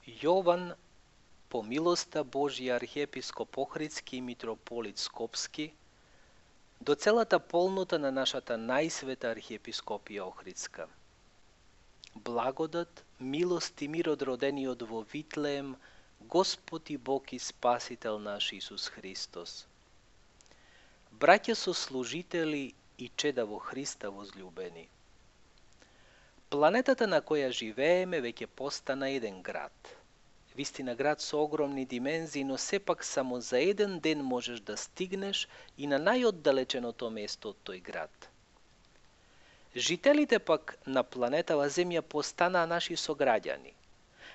Јован, по милоста Божја архиепископ Охридски и митрополит Скопски, до целата полнота на нашата најсвета архиепископија Охридска. Благодат, милост и мир од родениот во Витлеем, Господ и Бог и Спасител наш Исус Христос. Браќа сослужители и чеда во Христа возлюбени. Планетата на која живееме веќе постана еден град. Вистина град со огромни димензии, но сепак само за еден ден можеш да стигнеш и на најоддалеченото место од тој град. Жителите пак на планетава Земја постанаа наши сограѓани.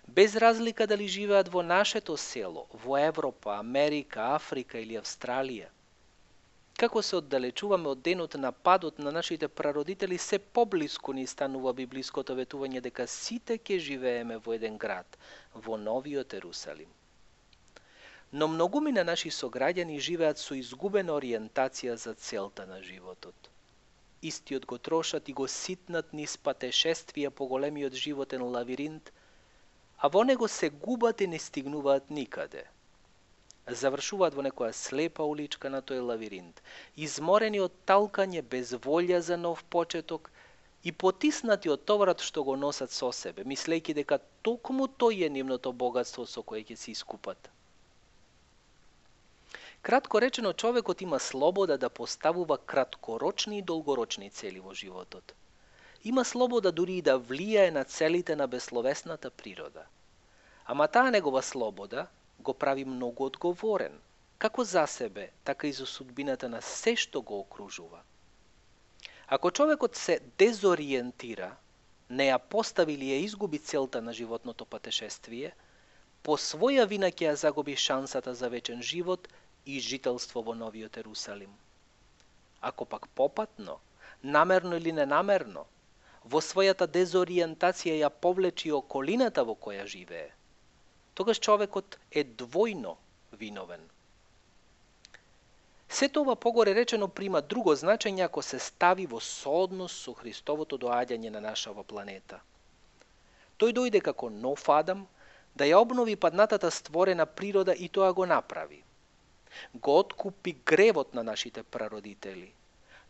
Без разлика дали живеат во нашето село, во Европа, Америка, Африка или Австралија. Како се оддалечуваме од денот на падот на нашите прародители, се поблиску ни станува библиското ветување дека сите ќе живееме во еден град, во Новиот Ерусалим. Но многумина наши сограѓани живеат со изгубена ориентација за целта на животот. Истиот го трошат и го ситнат низ патешествија по големиот животен лавиринт, а во него се губат и не стигнуваат никаде. Завршуваат во некоја слепа уличка на тој лавиринт, изморени од талкање, без волја за нов почеток и потиснати од товарот што го носат со себе, мислејќи дека токму тој е нивното богатство со кое ќе се искупат. Кратко речено, човекот има слобода да поставува краткорочни и долгорочни цели во животот. Има слобода дури и да влијае на целите на бесловесната природа. Ама таа негова слобода го прави многу одговорен, како за себе, така и за судбината на се што го окружува. Ако човекот се дезориентира, не ја постави или ја изгуби целта на животното патешествие, по своја вина ќе ја загуби шансата за вечен живот и жителство во Новиот Ерусалим. Ако пак попатно, намерно или ненамерно, во својата дезориентација ја повлечи околината во која живее, тогаш човекот е двојно виновен. Сето ова погоре речено прима друго значење ако се стави во сооднос со Христовото доаѓање на нашава планета. Тој дојде како нов Адам да ја обнови паднатата створена природа и тоа го направи. Го откупи гревот на нашите прародители,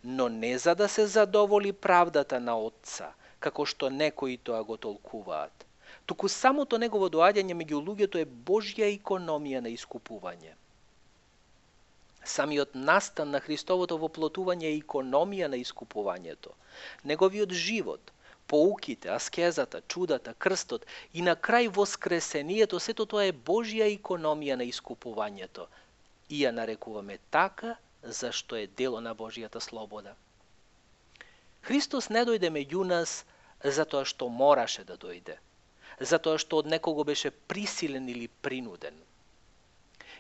но не за да се задоволи правдата на Отца, како што некои тоа го толкуваат, туку самото негово доаѓање меѓу луѓето е Божја икономија на искупување. Самиот настан на Христовото воплотување е икономија на искупувањето. Неговиот живот, поуките, аскезата, чудата, крстот и на крај воскресението, сето тоа е Божја икономија на искупувањето. И ја нарекуваме така, зашто е дело на Божјата слобода. Христос не дојде меѓу нас затоа што мораше да дојде, затоа што од некого беше присилен или принуден.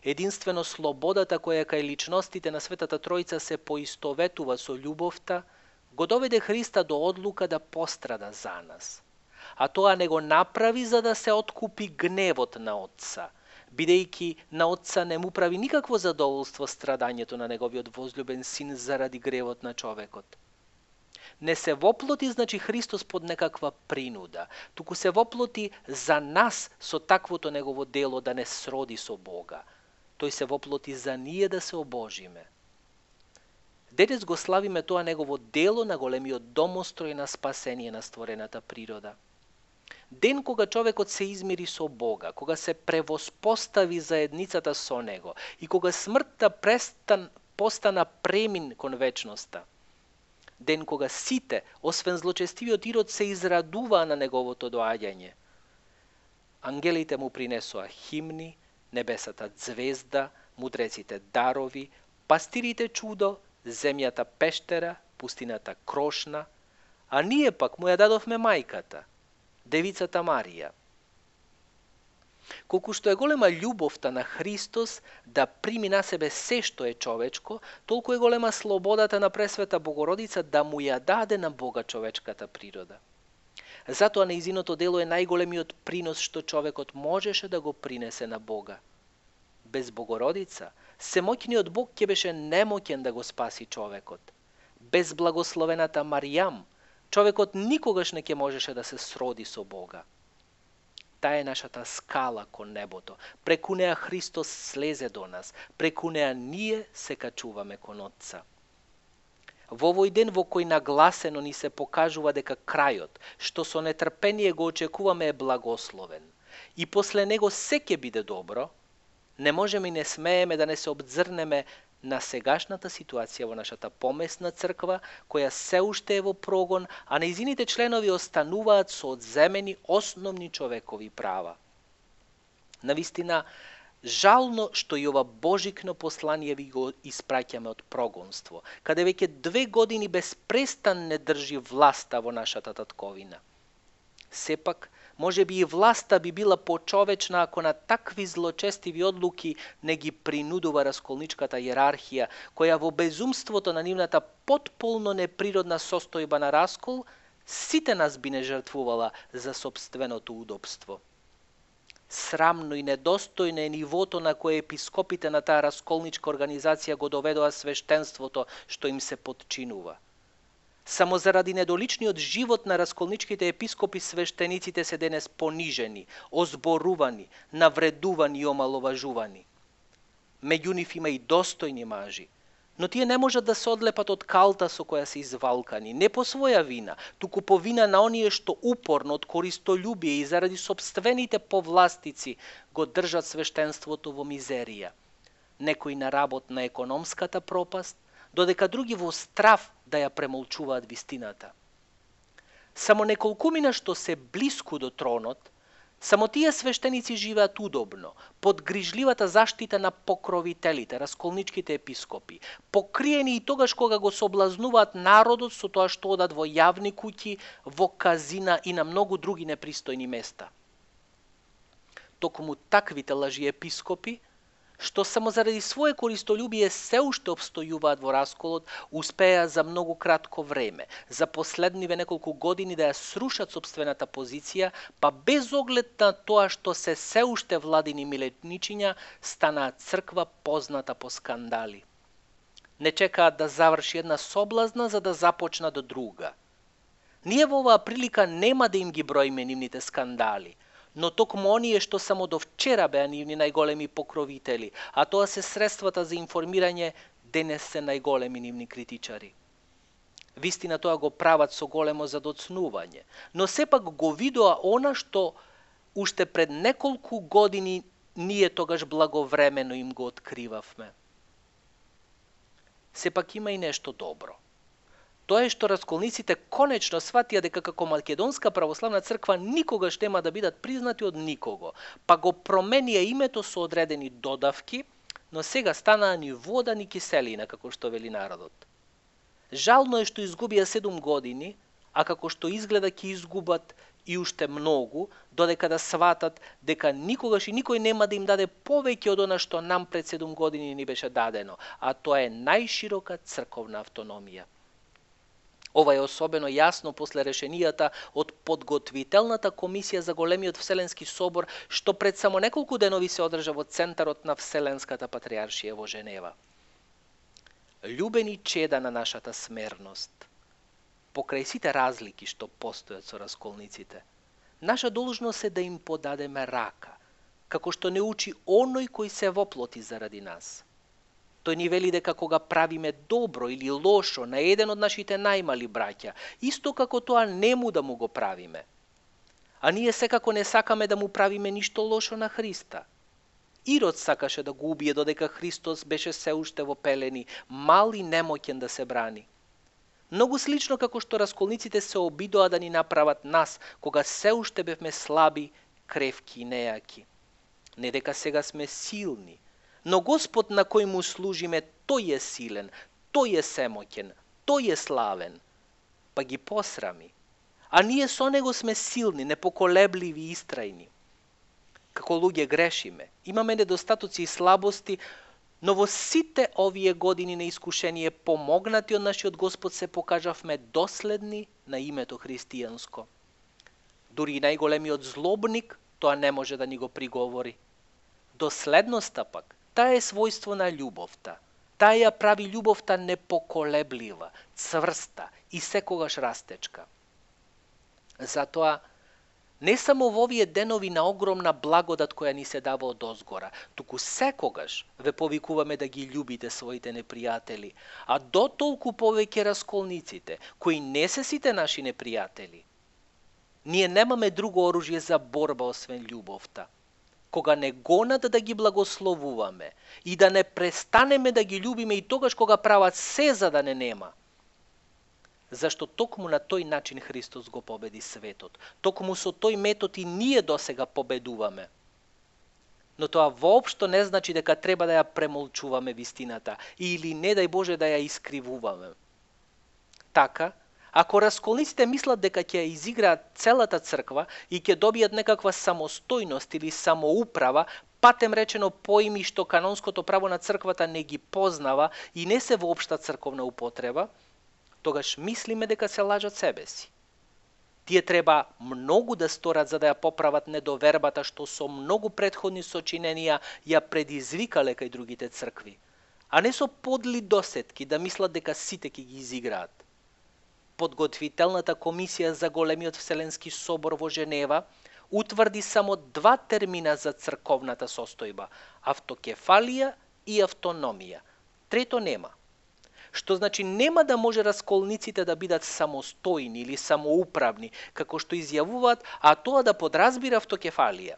Единствено слободата која кај личностите на Светата Тројца се поистоветува со љубовта, го доведе Христа до одлука да пострада за нас. А тоа не го направи за да се откупи гневот на Отца, бидејќи на Отца не му прави никакво задоволство страдањето на неговиот возлюбен син заради гревот на човекот. Не се воплоти, значи Христос под некаква принуда, туку се воплоти за нас со таквото негово дело да не сроди со Бога. Тој се воплоти за ние да се обожиме. Денес го славиме тоа негово дело на големиот домострој на спасение на створената природа. Ден кога човекот се измири со Бога, кога се превоспостави заедницата со Него и кога смртта постана премин кон вечноста. Ден кога сите, освен злочестивиот Ирод, се израдуваа на неговото доаѓање. Ангелите му принесоа химни, небесата звезда, мудреците дарови, пастирите чудо, земјата пештера, пустината крошна, а ние пак му ја дадовме мајката, Девицата Марија. Колку што е голема љубовта на Христос да прими на себе се што е човечко, толку е голема слободата на Пресвета Богородица да му ја даде на Бога човечката природа. Затоа нејзиното дело е најголемиот принос што човекот можеше да го принесе на Бога. Без Богородица, семоќниот Бог ќе беше немоќен да го спаси човекот. Без благословената Маријам, човекот никогаш не ќе можеше да се сроди со Бога. Таа е нашата скала кон небото. Преку неа Христос слезе до нас. Преку неа ние се качуваме кон Отца. Во овој ден во кој нагласено ни се покажува дека крајот, што со нетрпение го очекуваме, е благословен, и после него се ќе биде добро, не можеме и не смееме да не се обзрнеме на сегашната ситуација во нашата помесна црква, која се уште е во прогон, а нејзините членови остануваат со одземени основни човекови права. Навистина, жално што и ова божикно послание ви го испраќаме од прогонство, каде веќе 2 години безпрестан не држи власта во нашата татковина. Сепак, може би и власта би била почовечна ако на такви злочестиви одлуки не ги принудува расколничката иерархија, која во безумството на нивната потполно неприродна состојба на раскол, сите нас би не жртвувала за собственото удобство. Срамно и недостојно е нивото на кое епископите на таа расколничка организација го доведоа свештенството што им се подчинува. Само заради недоличниот живот на расколничките епископи свештениците се денес понижени, озборувани, навредувани и омаловажувани. Меѓу нив има и достојни мажи, но тие не можат да се одлепат од калта со која се извалкани, не по своја вина, туку по вина на оние што упорно од користолюбие и заради собствените повластици го држат свештенството во мизерија. Некои на работ на економската пропаст, додека други во страв да ја премолчуваат вистината. Само неколкумина што се блиску до тронот, само тие свештеници живеат удобно, под грижливата заштита на покровителите, расколничките епископи, покриени и тогаш кога го соблазнуваат народот со тоа што одат во јавни куќи, во казина и на многу други непристојни места. Токму таквите лажи епископи, што само заради свое користолюбие се уште обстојуваат во расколот, успеа за многу кратко време, за последниве неколку години да ја срушат собствената позиција, па без оглед на тоа што се уште владини милетничиња, станаат црква позната по скандали. Не чекаат да заврши една соблазна за да започнат друга. Ние во оваа прилика нема да им ги броиме нивните скандали, но токму оние што само до вчера беа нивни најголеми покровители, а тоа се средствата за информирање, денес се најголеми нивни критичари. Вистина тоа го прават со големо задоцнување, но сепак го видоа она што уште пред неколку години ние тогаш благовремено им го откривавме. Сепак има и нешто добро. Тоа е што расколниците конечно сватија дека како Македонска православна црква никогаш нема да бидат признати од никого, па го променија името со одредени додавки, но сега станаа ни вода ни киселина, како што вели народот. Жално е што изгубија 7 години, а како што изгледа ќе изгубат и уште многу, додека да сватат дека никогаш и никој нема да им даде повеќе од она што нам пред 7 години ни беше дадено, а тоа е најширока црковна автономија. Ова е особено јасно после решенијата од подготвителната комисија за големиот Вселенски собор, што пред само неколку денови се одржа во центарот на Вселенската патриаршија во Женева. Љубени чеда на нашата смерност, покрај сите разлики што постојат со расколниците, наша должност е да им подадеме рака, како што не учи оној кој се воплоти заради нас. Тој ни вели дека кога правиме добро или лошо на еден од нашите најмали браќа, исто како тоа нему да му го правиме. А ние секако не сакаме да му правиме ништо лошо на Христа. Ирод сакаше да го убие додека Христос беше се уште во пелени, мал и немоќен да се брани. Многу слично како што расколниците се обидоа да ни направат нас, кога се уште бевме слаби, кревки и нејаки. Не дека сега сме силни, но Господ на кој му служиме, тој е силен, тој е семоќен, тој е славен, па ги посрами. А ние со него сме силни, непоколебливи и истрајни. Како луѓе грешиме, имаме недостатоци и слабости, но во сите овие години на искушение помогнати од нашиот Господ се покажавме доследни на името христијанско. Дури и најголемиот злобник тоа не може да ни го приговори. Доследноста пак, таа е својство на љубовта. Таа ја прави љубовта непоколеблива, цврста и секогаш растечка. Затоа Не само во овие денови на огромна благодат која ни се дава од озгора, туку секогаш ве повикуваме да ги љубите своите непријатели, а до толку повеќе расколниците, кои не се сите наши непријатели. Ние немаме друго оружје за борба освен љубовта. Кога не гонат да ги благословуваме и да не престанеме да ги љубиме и тогаш кога прават се за да не нема. Зашто токму на тој начин Христос го победи светот. Токму со тој метод и ние досега победуваме. Но тоа воопшто не значи дека треба да ја премолчуваме вистината или не дај Боже да ја искривуваме. Така, ако расколниците мислат дека ќе ја изиграат целата црква и ќе добијат некаква самостојност или самоуправа, патем речено поими што канонското право на црквата не ги познава и не се воопшта црковна употреба, тогаш мислиме дека се лажат себе си. Тие треба многу да сторат за да ја поправат недовербата што со многу претходни сочиненија ја предизвикале кај другите цркви, а не со подли досетки да мислат дека сите ќе ги изиграат. Подготвителната комисија за големиот Вселенски собор во Женева утврди само 2 термина за црковната состојба – автокефалија и автономија. Трето нема. Што значи нема да може расколниците да бидат самостојни или самоуправни, како што изјавуваат, а тоа да подразбира автокефалија.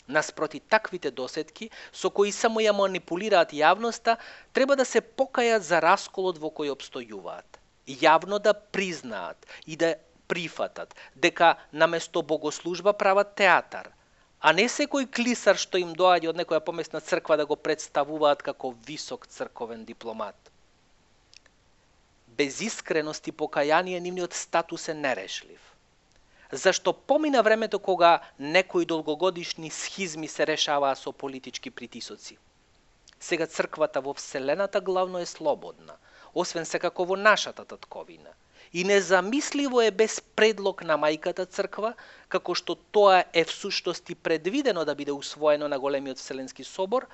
Наспроти таквите досетки, со кои само ја манипулираат јавноста, треба да се покајат за расколот во кој обстојуваат. Јавно да признаат и да прифатат дека наместо богослужба прават театар, а не секој клисар што им доаѓа од некоја помесна црква да го представуваат како висок црковен дипломат. Без искреност и покаяние нивниот статус е нерешлив. Зашто помина времето кога некои долгогодишни схизми се решаваа со политички притисоци. Сега црквата во Вселената главно е слободна, освен секако во нашата татковина. И незамисливо е без предлог на мајката црква, како што тоа е всушност и предвидено да биде усвоено на големиот Вселенски собор,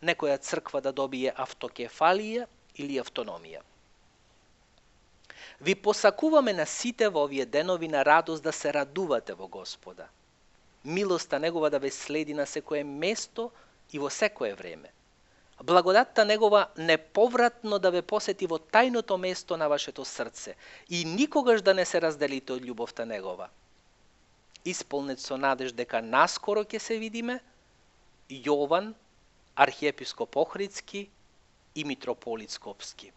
некоја црква да добие автокефалија или автономија. Ви посакуваме на сите во овие денови на радост да се радувате во Господа. Милоста Негова да ве следи на секое место и во секое време. Благодатта Негова неповратно да ве посети во тајното место на вашето срце и никогаш да не се разделите од љубовта Негова. Исполнет со надеж дека наскоро ќе се видиме, Јован, архиепископ Охридски и митрополит Скопски.